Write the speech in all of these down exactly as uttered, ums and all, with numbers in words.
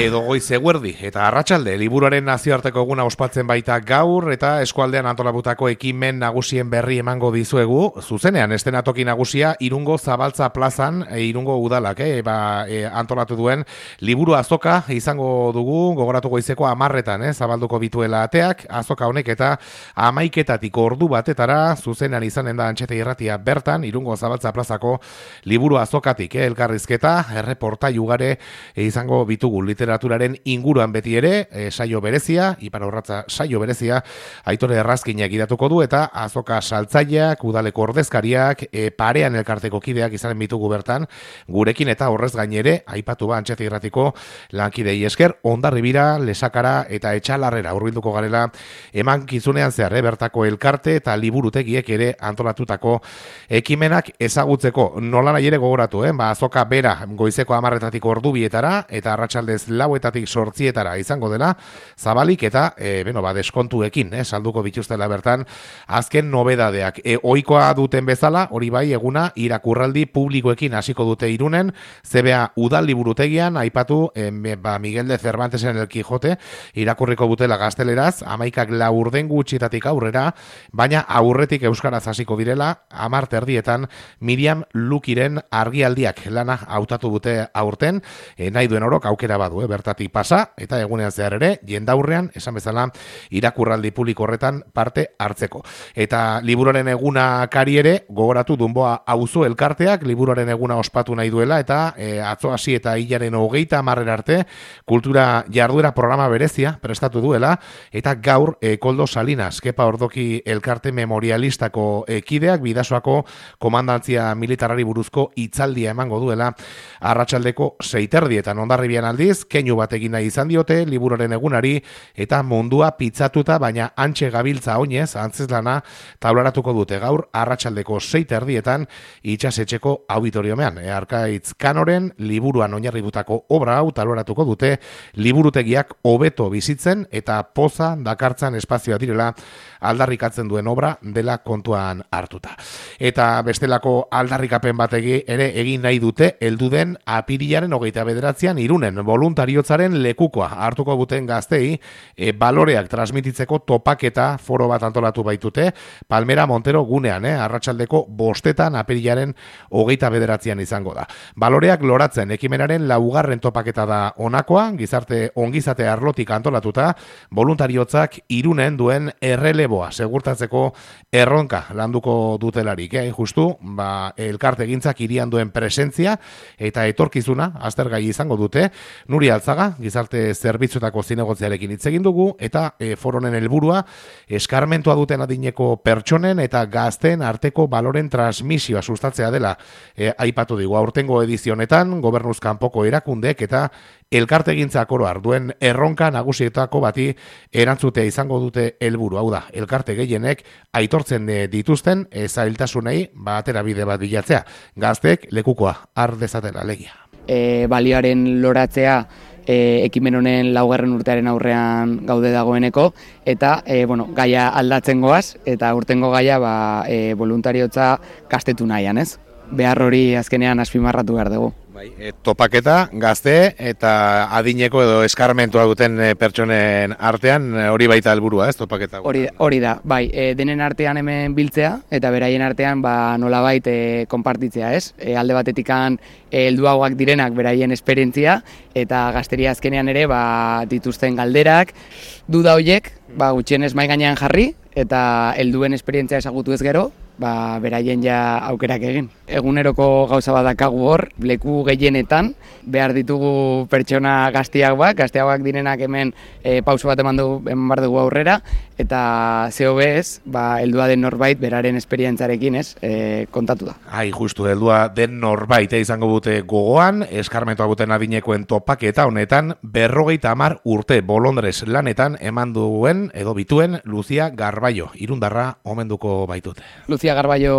edo goiz eguerdi eta arratsalde liburuaren nazioarteko eguna ospatzen baita gaur eta eskualdean antolabutako ekimen nagusien berri emango dizuegu. Zuzenean estenatoki nagusia Irungo Zabaltza plazan, e, Irungo udalak e, ba, e, antolatu duen liburu azoka izango dugu, gogoratu goizeko amarretan, eh, zabalduko bituela ateak, azoka honek eta amaiketatik ordu batetara zuzenean izanen da Antxete Irratia bertan, Irungo Zabaltza plazako liburu azokatik, eh, elkarrizketa, erreportai ugare e, izango bitugu literaturaren inguruan beti ere, e, saio berezia, Ipar Urratza saio berezia, Aitore Errazkinak idatuko du eta azoka saltzaileak, udaleko ordezkariak, e, parean elkarteko kideak izanen bitugu bertan, gurekin eta horrez gainere, aipatu ba Antxete Irratiko lankidei esker, Hondarribira, Lesakara eta Etxalarrera hurbilduko garela eman kizunean zehar, eh, bertako elkarte eta liburutegiek ere antolatutako ekimenak ezagutzeko. Nola nahi ere gogoratu, eh? Ba, azoka bera goizeko amarretatik ordubietara eta arratsaldez lauetatik sortzietara izango dela, zabalik eta e, beno, ba, deskontuekin, eh, salduko bituztela bertan azken nobedadeak. E, ohikoa duten bezala, hori bai eguna irakurraldi publikoekin hasiko dute Irunen, Z B A udal liburutegian, aipatu e, ba, Miguel de Cervantesen El Quijote, irakurriko butela gazteleraz, amaikak laurden gutxitatik aurrera, baina aurretik euskaraz hasiko direla, amar terdietan Miriam Lukiren argialdiak lana hautatu dute aurten, e, nahi duen orok aukera badu, eh, bertatik pasa, eta egunean zehar ere, jendaurrean, esan bezala, irakurraldi publiko horretan parte hartzeko. Eta liburuaren eguna kari ere, gogoratu Dunboa auzo elkarteak, liburuaren eguna ospatu nahi duela, eta e, atzo hasi eta hilaren hogeita amarrera arte, kultura jarduera programa berezia prestatu duela, eta gaur e, Koldo Salinas, Kepa Ordoki elkarte memorialistako ekideak, Bidasoako komandantzia militarari buruzko hitzaldia emango duela, arratsaldeko seiterdietan Hondarribian aldiz, keinu bat egin nahi izan diote, liburuaren egunari, eta mundua pitzatuta, baina antxe gabiltza oinez, antzeslana, taularatuko dute gaur, arratsaldeko seiterdietan, itxasetxeko auditoriomean. E, Arkaitz Kanoren, liburuan oinarritutako obra hau taularatuko dute, liburutegiak hobeto bizitzen, eta poza dakartzan espazioa direla, aldarrikatzen duen obra dela kontuan hartuta. Eta bestelako aldarrikapen bategi ere egin nahi dute, heldu den apirilaren hogeita bederatzean Irunen voluntariotzaren lekukoa hartuko duten gaztei, e, baloreak transmititzeko topaketa foro bat antolatu baitute, Palmera Montero gunean, eh, arratsaldeko bostetan apirilaren hogeita bederatzean izango da. Baloreak loratzen ekimenaren laugarren topaketa da honakoa, gizarte ongizate arlotik antolatuta, voluntariotzak Irunen duen erreleboa segurtatzeko erronka landuko dutelarik, eh, justu, ba, elkarte gintzak irian duen presentzia eta etorkizuna aztergai izango dute. Nuri Altzaga, gizarte zerbitzuetako zinegotziarekin hitz egin dugu, eta e, foronen helburua eskarmentua duten adineko pertsonen eta gazteen arteko baloren transmisioa sustatzea dela, e, aipatu digu aurtengo edizionetan, gobernuz kanpoko erakundek eta elkartegintzak oro duen erronka nagusietako bati erantzutea izango dute helburu. Hau da, elkarte gehienek aitortzen dituzten zailtasunei batera bide bat bilatzea. Gazteek lekukoa har dezatela legia. E, balioaren loratzea e, ekimen honen laugarren urtearen aurrean gaude dagoeneko, eta e, bueno, gaia aldatzen goaz, eta urtengo gaia ba, e, voluntariotza kastetu nahian, ez? Behar hori azkenean azpimarratu behar dugu. Bai, e, topaketa, gazte eta adineko edo eskarmentua duten e, pertsonen artean, e, hori baita helburua, ez, topaketa? Hori, hori da, bai, e, denen artean hemen biltzea, eta beraien artean ba, nolabait e, konpartitzea, ez? E, alde batetikan e, helduagoak direnak beraien esperientzia, eta gazteria azkenean ere ba, dituzten galderak, duda horiek, ba, gutxienez mai gainean jarri, eta helduen esperientzia ezagutu ez gero, ba, beraien ja aukerak egin. Eguneroko gauza badakagu hor, leku gehienetan, behar ditugu pertsona gaztiagoak, gaztiagoak direnak hemen e, pauso bat eman dugu, eman bar dugu aurrera, eta zeo bez, ba, heldua den norbait beraren esperientzarekin, ez, e, kontatu da. Ai, justu, heldua den norbait, eh, izango dute gogoan, eskarmentua duten adinekoen topaketa honetan, berrogeita hamar urte bolondrez lanetan eman duen, edo bituen, Lucia Garbaio, Irundarra omenduko baitute. Lucia Garbaio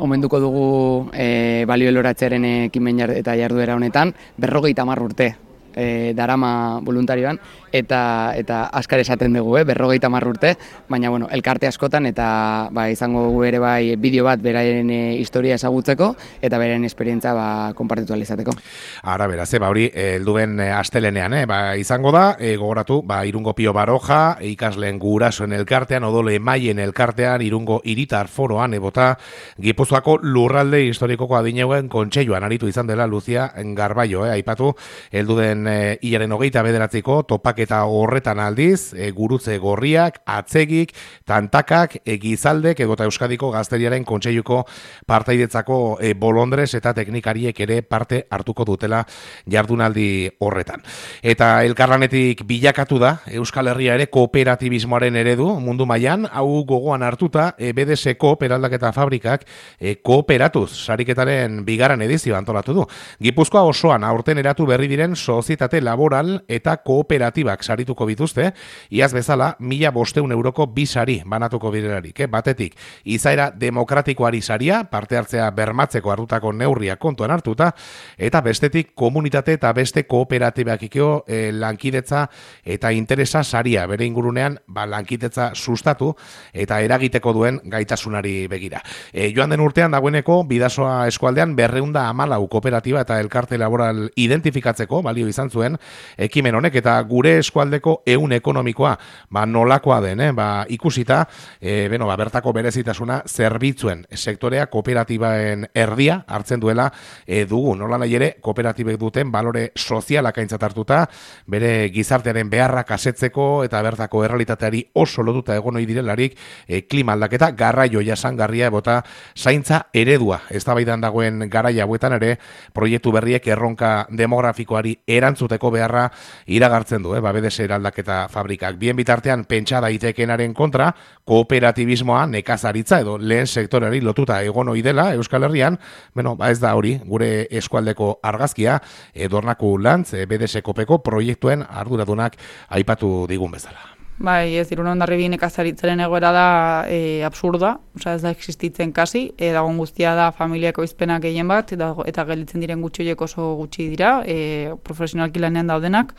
omenduko dugu e, balio eloratzearen ekimen jar, eta jarduera honetan, berrogeita hamar urte e, darama voluntarioan, eta eta askar esaten dugu, eh, berrogeita hamar urte, baina bueno, elkarte askotan, eta ba, izango dugu ere bai bideo bat beraren e, historia ezagutzeko, eta beraren esperientza ba, konpartitu ahal izateko. Ara, beraz, ba, hori, helduen e, astelenean, eh, ba, izango da, e, gogoratu, ba, Irungo Pio Baroja, ikasleen gurasoen elkartean, odole emaien elkartean, Irungo Hiritar Foroan, ebota, Gipuzkoako lurralde historikoko adineuen kontseiluan aritu izan dela Lucia Garbaio, eh, aipatu, helduden e, hilaren hogeita bederatziko, topaketa horretan aldiz, e, gurutze gorriak, atzegik, tantakak, e, gizaldek, edota Euskadiko Gazteriaren kontseiluko partaidetzako e, bolondrez eta teknikariek ere parte hartuko dutela jardunaldi horretan. Eta elkarlanetik bilakatu da Euskal Herria ere kooperatibismoaren eredu mundu mailan, hau gogoan hartuta e, B D S Eraldaketa Fabrikak e, kooperatuz sariketaren bigarren edizio antolatu du. Gipuzkoa osoan aurten eratu berri diren sozietate laboral eta kooperatibak sarituko bituzte, iaz bezala mila bosteun euroko bi sari banatuko biderarik, eh? Batetik izaera demokratikoari saria, parte hartzea bermatzeko hartutako neurriak kontuan hartuta, eta bestetik komunitate eta beste kooperatibakiko e, lankidetza eta interesa saria, bere ingurunean ba, lankidetza sustatu eta eragiteko duen gaitasunari begira. E, joan den urtean dagoeneko Bidasoa eskualdean berreunda hamalau kooperatiba eta elkarte laboral identifikatzeko balio izan zuen ekimen honek, eta gure eskualdeko ehun ekonomikoa ba, nolakoa den, eh? ba, ikusita e, beno, ba, bertako berezitasuna zerbitzuen sektorea kooperatibaen erdia hartzen duela e, dugu. Nola nahi ere, kooperatibek duten balore sozialak aintzat hartuta, bere gizartearen beharrak asetzeko eta bertako errealitateari oso lotuta egon ohi direlarik e, klima aldaketa, garraio jasangarria ebota zaintza eredua. Eztabaidan dagoen garaia hauetan ere proiektu berriek erronka demografikoari erantzuteko beharra iragartzen du, eh? ba, B D S Eraldaketa Fabrikak. Bien bitartean pentsa daitekenaren kontra, kooperatibismoa nekazaritza edo lehen sektoreari lotuta egon ohi dela Euskal Herrian, bueno, ba ez da hori, gure eskualdeko argazkia, Dornaku Lantz, B D S Kopeko proiektuen arduradunak aipatu digun bezala. Bai, ez Irun Hondarribia nekazaritzaren egoera da e, absurda, osea ez da existitzen kasi, e, dagoen guztia da familiako izpenak gehien bat, eta, eta gelditzen diren gutxi horiek oso gutxi dira, e, profesionalki lanean daudenak,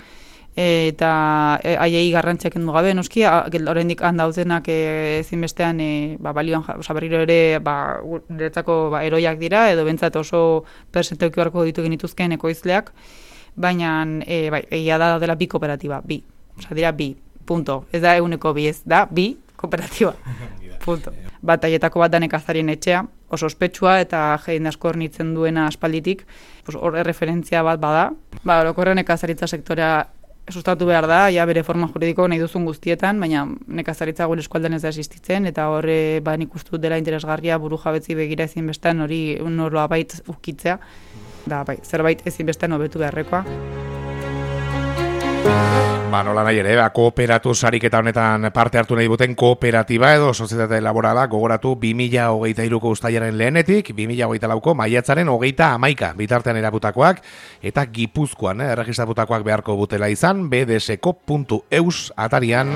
e, eta haiei garrantziak kendu gabe, noski, oraindik han daudenak e, ezinbestean e, ba, balioan, osea berriro ere ba, niretzako ba, eroiak dira, edo bentsat oso persentoki beharko ditu genituzkeen ekoizleak, baina e, bai, egia da dela bi kooperatiba, bi, osea dira bi. Punto. Ez da eguneko bi, ez da bi kooperatiba. Punto. Bat aietako bat da nekazarien etxea, oso ospetsua eta jende asko hornitzen duena aspalditik, hor erreferentzia bat bada. Ba, orokorren nekazaritza sektorea sustatu behar da, ja bere forma juridiko nahi duzun guztietan, baina nekazaritza gure eskualdean ez da existitzen, eta horre ba, nik uste dut dela interesgarria buru jabetzi begira ezinbestean hori noroa bait ukitzea, da bai, zerbait ezinbestean hobetu beharrekoa. Ba, nola nahi ere, ba, kooperatu sariketa honetan parte hartu nahi duten kooperatiba edo sozietate laborala gogoratu bi mila hogeita hiruko uztailaren lehenetik, bi mila hogeita lauko maiatzaren hogeita hamaika bitartean erabutakoak, eta Gipuzkoan eh, erregistratutakoak beharko butela izan, b d s ko puntu e u s atarian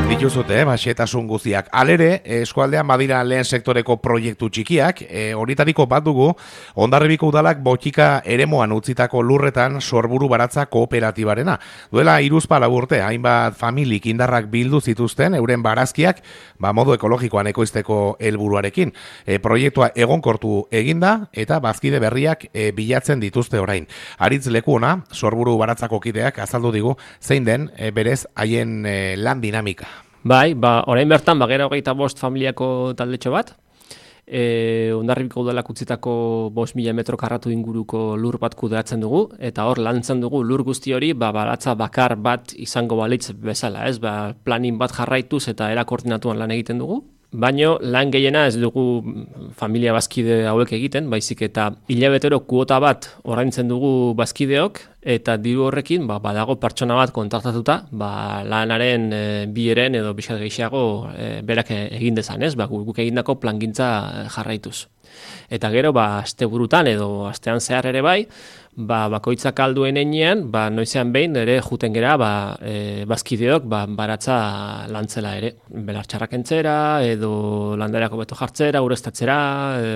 dituzute, eh, baxetasun guztiak. Alere, eskualdean badira lehen sektoreko proiektu txikiak, e, horitariko bat dugu, Hondarribiko udalak botika eremoan utzitako lurretan sorburu baratza kooperatibarena. Duela hiruzpalau urte, hainbat familik indarrak bildu zituzten euren barazkiak, ba modu ekologikoan ekoizteko helburuarekin. E, proiektua egonkortu eginda eta bazkide berriak e, bilatzen dituzte orain. Aritz Lekuona, sorburu baratzako kideak azaldu digu zein den e, berez haien e, lan dinamika. Bai, ba orain bertan bagera hogeita bost familiako taldetxo bat. E, Hondarribiko udalak utzitako bost mila metro karratu inguruko lur bat kudeatzen dugu, eta hor lantzen dugu lur guzti hori ba, baratza bakar bat izango balitz bezala, ez? Ba, planin bat jarraituz eta era koordinatuan lan egiten dugu. Baino lan gehiena ez dugu familia bazkide hauek egiten, baizik eta hilabetero kuota bat ordaintzen dugu bazkideok, eta diru horrekin ba, badago pertsona bat kontraktatuta, ba, lanaren e, bieren edo bizkat gehiago e, berak egin dezan, ez? Ba, guk egindako plangintza jarraituz. Eta gero, ba, asteburutan edo astean zehar ere bai, ba, bakoitzak alduen enean, ba, noizean behin ere juten gera, ba, e, bazkideok, ba, baratza lantzela ere. Belartxarrak entzera, edo landarako beto jartzera, ureztatzera, e,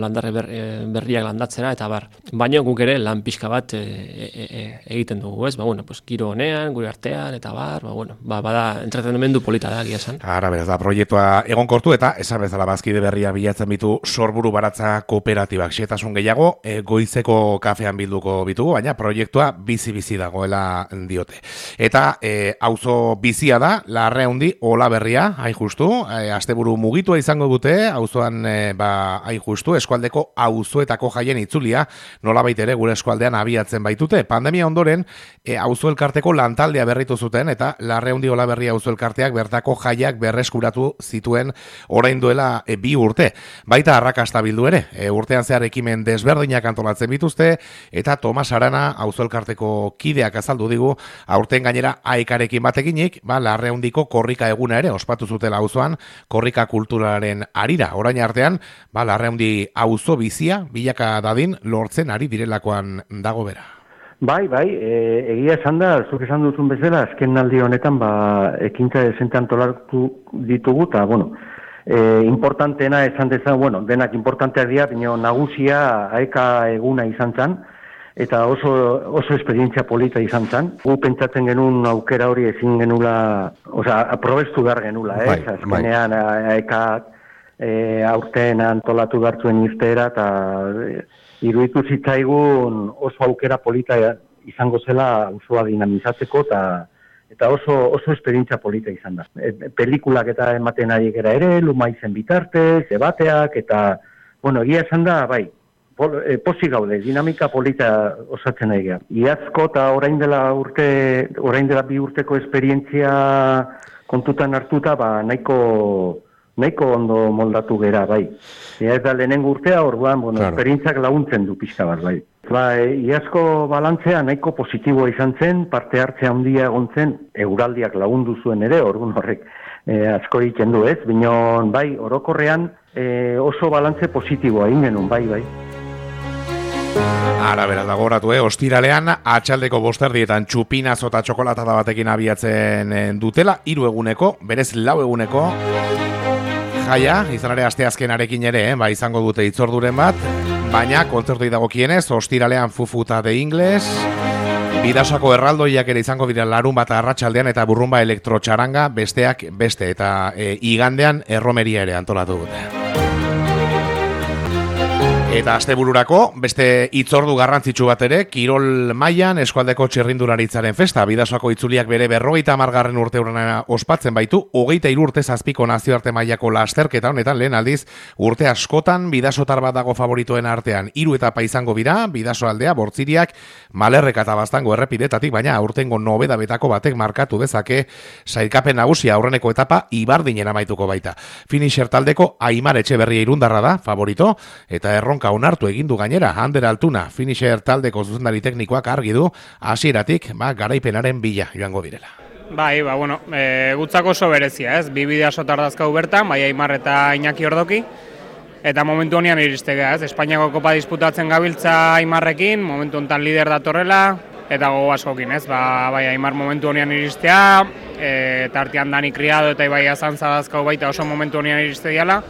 landarre ber, e, berriak landatzera, eta bar. Baina guk ere lan pixka bat e, e, e, egiten dugu, ez? Ba, bueno, pues, giro honean, gure artean, eta bar, ba, bueno, ba, bada entretenimendu polita da, gia esan. Ara, beraz, da, proiektua egonkortu eta esan bezala bazkide berria bilatzen bitu Sorburu Baratza Kooperatibak. Xehetasun gehiago, e, goizeko kafean bilduko bitugu, baina proiektua bizi-bizi dagoela diote. Eta e, auzo bizia da, Larreundi Olaberria, hain justu, e, asteburu mugitua izango dute, auzoan e, ba, hain justu, eskualdeko auzoetako jaien itzulia, nolabait ere gure eskualdean abiatzen baitute. Pandemia ondoren, e, auzo elkarteko lantaldea berritu zuten, eta Larreundi Olaberria auzo elkarteak bertako jaiak berreskuratu zituen orain duela e, bi urte. Baita arrakasta bildu ere, e, urtean zehar ekimen desberdinak antolatzen bituzte, eta Tomas Arana auzo elkarteko kideak azaldu digu, aurten gainera aekarekin batekinik, ba, Larreundiko korrika eguna ere ospatu zutela auzoan, korrika kulturaren arira. Orain artean, ba, Larreundi auzo bizia bilaka dadin lortzen ari direlakoan dago bera. Bai, bai, e, egia esan da, zuk esan duzun bezala, azken aldi honetan, ba, ekintza dezente antolatu ditugu, eta, bueno, e, importanteena esan dezan, bueno, denak importanteak dira, baina nagusia aeka eguna izan zen, eta oso, oso esperientzia polita izan zen. Gu pentsatzen genuen aukera hori ezin genula, osea, aprobestu behar genula, eh? Bai, azkenean aeka e, aurten antolatu behartzuen irteera, eta e, iruditu zitzaigun oso aukera polita izango zela osoa dinamizatzeko, eta eta oso oso esperientzia polita izan da. E, pelikulak eta ematen ari gera ere, lumaizen bitartez, debateak, eta, bueno, egia esan da, bai, posi gaude, dinamika polita osatzen nahi gara. Iazko eta orain dela urte, orain dela bi urteko esperientzia kontutan hartuta, ba, nahiko, nahiko ondo moldatu gera, bai. Ia ez da lehenengo urtea, orduan, bueno, claro, esperientziak laguntzen du pixka bat, bai. Ba, e, iazko balantzea nahiko positiboa izan zen, parte hartzea handia egon zen, euraldiak lagundu zuen ere, orduan horrek e, asko egiten du ez, binon, bai, orokorrean e, oso balantze positiboa egin genuen, bai, bai. Ara, beraz, dagoratu, eh? Ostiralean, atxaldeko bosterdietan txupinazo eta txokolatada batekin abiatzen dutela, hiru eguneko, berez lau eguneko jaia, izan ere asteazkenarekin ere, eh? Ba, izango dute hitzorduren bat, baina kontzertoi dagokienez, ostiralean Fufuta de Ingles, Bidasoko erraldoiak ere izango dira larun bat arratsaldean eta burrumba elektrotxaranga besteak beste, eta e, igandean erromeria ere antolatu dute. Eta astebururako, beste hitzordu garrantzitsu bat ere, Kirol mailan eskualdeko txirrindularitzaren festa. Bidasoako itzuliak bere berrogeita hamargarren urte urrena ospatzen baitu, hogeita hiru urte zazpiko nazioarte mailako lasterketa honetan lehen aldiz, urte askotan bidasotar bat dago favoritoen artean. Hiru etapa izango bira, Bidaso aldea, Bortziriak, Malerreka eta Baztango errepidetatik, baina aurtengo nobedabetako batek markatu dezake sailkapen nagusia aurreneko etapa Ibardinen amaituko baita. Finisher taldeko Aimar Etxeberria Irundarra da, favorito, eta erron onartu egindu gainera, Ander Altuna, Finisher taldeko zuzendari teknikoak argi du, hasieratik ba, garaipenaren bila joango direla. Bai, ba, bueno, e, gutzako oso berezia, ez? Bi bidaso tardazkau bertan, bai Aimar eta Iñaki Ordoki, eta momentu honean iristegea, ez? Espainiako kopa disputatzen gabiltza Aimarrekin, momentu honetan lider datorrela, eta gogo askokin, ez? Ba, bai Aimar momentu honean iristea, e, eta artean Dani Criado eta Ibai Azantza dazkau baita oso momentu honean iristegiala,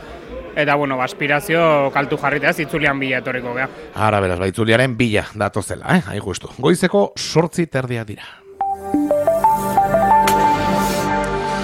eta, bueno, aspirazio kaltu jarritea, itzulian bila etoriko gea. Ara, beraz, ba, itzuliaren bila datozela, eh? Hain justu. Goizeko sortzi terdia dira.